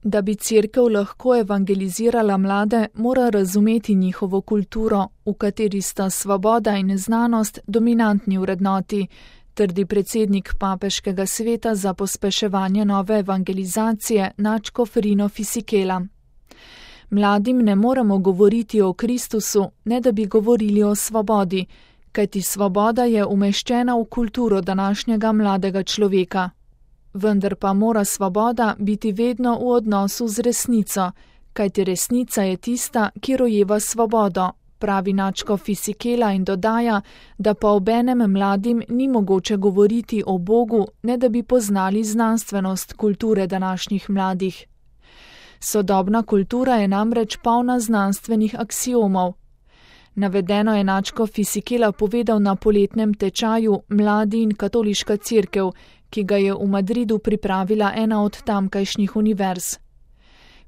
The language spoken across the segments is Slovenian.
Da bi Cerkev lahko evangelizirala mlade, mora razumeti njihovo kulturo, v kateri sta svoboda in znanost dominantni vrednoti, trdi predsednik Papeškega sveta za pospeševanje nove evangelizacije nadškof Rino Fisichella. Mladim ne moremo govoriti o Kristusu, ne da bi govorili o svobodi, kajti svoboda je umeščena v kulturo današnjega mladega človeka. Vendar pa mora svoboda biti vedno v odnosu z resnico, kajti resnica je tista, ki rojeva svobodo, pravi nadškof Fisichella in dodaja, da pa obenem mladim ni mogoče govoriti o Bogu, ne da bi poznali znanstvenost kulture današnjih mladih. Sodobna kultura je namreč polna znanstvenih aksiomov. Navedeno je nadškof Fisichella povedal na poletnem tečaju Mladi in katoliška cerkev, ki ga je v Madridu pripravila ena od tamkajšnjih univerz.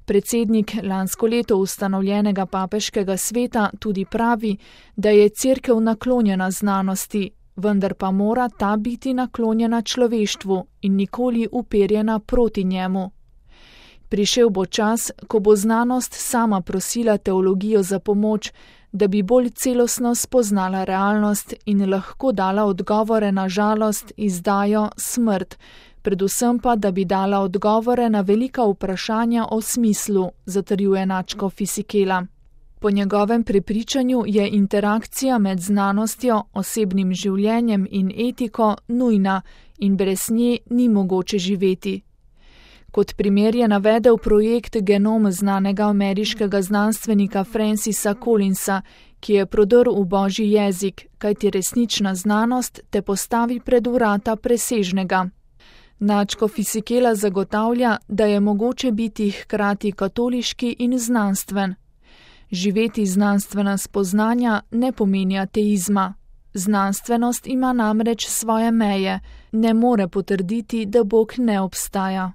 Predsednik lansko leto ustanovljenega Papeškega sveta tudi pravi, da je cerkev naklonjena znanosti, vendar pa mora ta biti naklonjena človeštvu in nikoli uperjena proti njemu. Prišel bo čas, ko bo znanost sama prosila teologijo za pomoč, da bi bolj celostno spoznala realnost in lahko dala odgovore na žalost, izdajo, smrt, predvsem pa, da bi dala odgovore na velika vprašanja o smislu, zatrjuje nadškof Fisichella. Po njegovem prepričanju je interakcija med znanostjo, osebnim življenjem in etiko nujna in brez nje ni mogoče živeti. Kot primer je navedel projekt Genom znanega ameriškega znanstvenika Francisa Collinsa, ki je prodrl v božji jezik, kajti resnična znanost te postavi pred vrata presežnega. Nadškof Fisichella zagotavlja, da je mogoče biti hkrati katoliški in znanstven. Živeti znanstvena spoznanja ne pomeni ateizma. Znanstvenost ima namreč svoje meje, ne more potrditi, da Bog ne obstaja.